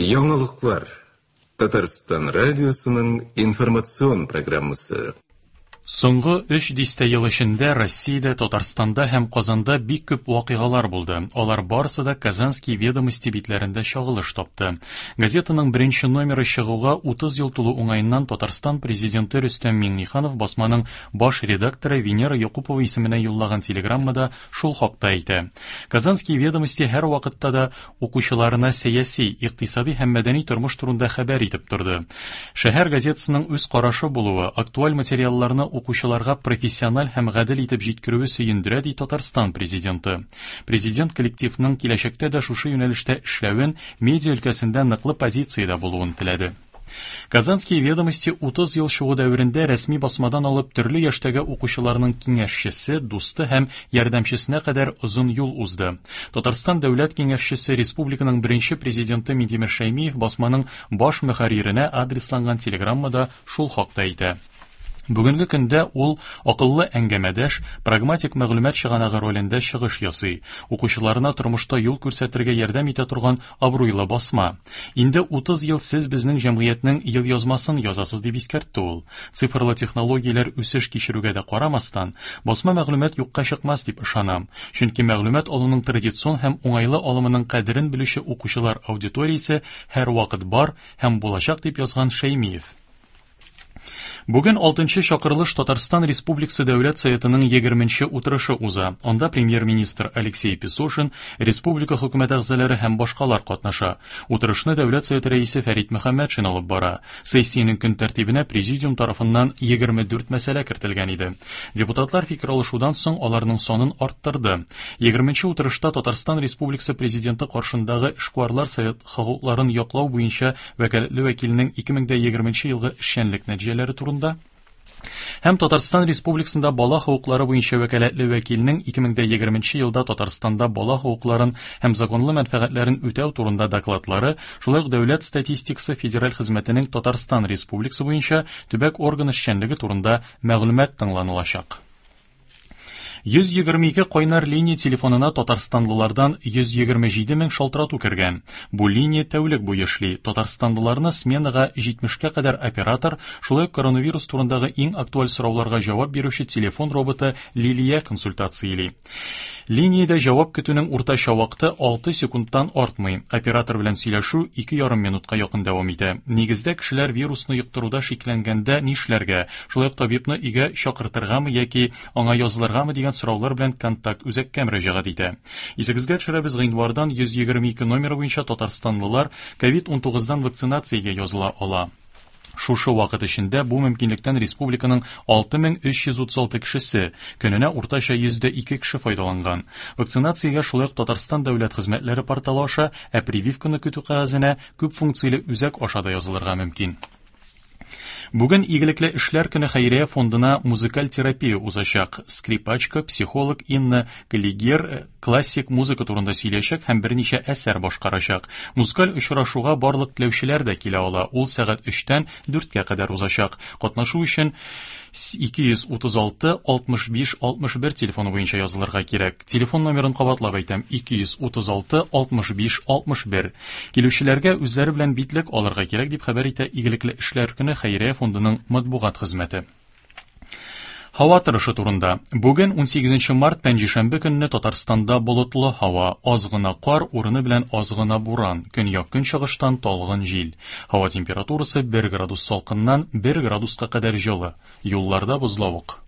Яңалыклар. Татарстан радиосының информацион программасы. Соңгы өч дистә ел эчендә Россиядә, Татарстанда һәм Казанда бик күп вакыйгалар булды. Алар барысы да Казанские ведомости битләрендә чагылыш тапты. Газетаның беренче номеры чыгуга 30 ел тулу уңаеннан Татарстан Президенты Рөстәм Миңнеханов басманың баш редакторы Венера Якупова исеменә юллаган телеграммада шул хакта әйтә. Казанские ведомости һәрвакытта да укучыларына сәяси, икътисади һәм мәдәни тормыш турында хәбәр итеп торды. Шәһәр газетасының үз карашы булуы, актуаль материалларны укучыларга профессиональ һәм гадел итеп җиткерүе сөендерә, ди Татарстан Президенты. Президент коллективның киләчәктә дә шушы юнәлештә эшләвен, медиа өлкәсендә ныклы позициядә булуын теләде. Казанские ведомости 30 ел чыгу дәверендә рәсми басмадан алып төрле яшьтәге укучыларның киңәшчесе, дусты һәм ярдәмчесенә кадәр озын юл узды. Татарстан Дәүләт Киңәшчесе, республиканың беренче президенты Минтимер Шәймиев басманың баш мөхәрриренә адресланган телеграммада шул хакта әйтә. Бүгенге көндә ул акыллы әңгәмәдәш, прагматик мәгълүмат чыганагы ролендә чыгыш ясый, укучыларына тормышта юл күрсәтергә ярдәм итә торган абруйлы басма. Инде 30 ел сез безнең җәмгыятьнең елъязмасын язасыз, дип искәртте ул. Цифрлы технологияләр үсеш кичерүгә дә карамастан, басма мәгълүмат юкка чыкмас дип ышанам. Чөнки мәгълүмат алуның традицион һәм уңайлы алымының кадерен белүче укучылар аудиториясе һәрвакыт бар һәм булачак, дип язган Шәймиев. Бүген алтынчы чакырылыш Татарстан Республикасы Дәүләт Советының егерменче утырышы уза. Анда премьер-министр Алексей Песошин, республика хөкүмәт әгъзалары һәм башкалар катнаша. Утырышны Дәүләт Советы рәисе Фәрит Мөхәммәтшин алып бара. Сессиянең көн тәртибенә президиум тарафыннан 24 мәсьәлә кертелгән иде. Депутатлар фикер алышудан соң аларның санын арттырды. Егерменче утырышта Татарстан Республикасы Президенты каршындагы Эшкуарлар Совет хокукларын яклау буенча вәкаләтле вәкилнең 2020 елгы эшчәнлек нәтиҗәләре турында һәм Татарстан Республикасында бала хокуклары буенча вәкаләтле вәкилнең 2020 елда Татарстанда бала хокукларын һәм законлы мәнфәгатьләрен үтәү турында докладлары, шулай ук Дәүләт статистикасы федераль хезмәтенең Татарстан Республикасы буенча төбәк органы эшчәнлеге турында мәгълүмат тыңланылачак. 122 кайнар линия телефонына татарстанлылардан 127 мең шалтырату кергән. Бу линия тәүлек буе эшли. Татарстанлыларны сменага 70-кә кадәр оператор, шулай ук коронавирус турындагы иң актуаль сорауларга җавап бирүче телефон роботы Лилия консультацияли. Линиядә җавап көтүнең уртача вакыты 6 секундтан артмый. Оператор белән сөйләшү 2,5 минутка якын дәвам итә. Нигездә кешеләр вирусны йоктыруда шикләнгәндә нишләргә, шулай ук табибны өйгә чакыртыргамы яки аңа язылыргамы дигән сораулар белән контакт үзәккә мөрәҗәгать итә. Исегезгә төшерәбез, гыйнвардан 122 номеры буенча татарстанлылар ковид-19 дан вакцинациягә языла ала. Шушы вакыт эчендә бу мөмкинлектән республиканың 6336 кешесе, көненә уртача 102 кеше файдаланган. Вакцинациягә шулай ук Татарстан дәүләт хезмәтләре порталы аша, ә прививканы көтү кәгазенә күп функцияле үзәк аша да язылырга мөмкин. Бүген Игелекле эшләр көне хәйрия фондына музыкаль терапия узачак. Скрипачка, психолог Инна Калигер э, классик музыка турында сөйләячәк һәм берничә әсәр башкарачак. Музыкаль очрашуга барлык теләүчеләр дә килә ала. Ул сәгать 3-тән 4-кә кадәр узачак. Катнашу өчен 236 65 61 телефоны буенча язылырга кирәк. Телефон номерын кабатлап әйтәм: 236 65 61. Килүчеләргә үзләре белән битлек алырга кирәк, дип хәбәр итә Игелекле эшләр көне хәйрия фондының матбугат хезмәте. Һава торышы турында. Бүген 18 март пәнҗешәмбе көнне Татарстанда болытлы һава, аз гына кар, урыны белән аз гына буран, көньяк-көнчыгыштан талгын җил. Һава температурасы 1 градус салкыннан 1 градуска кадәр җылы. Юлларда бозлавык.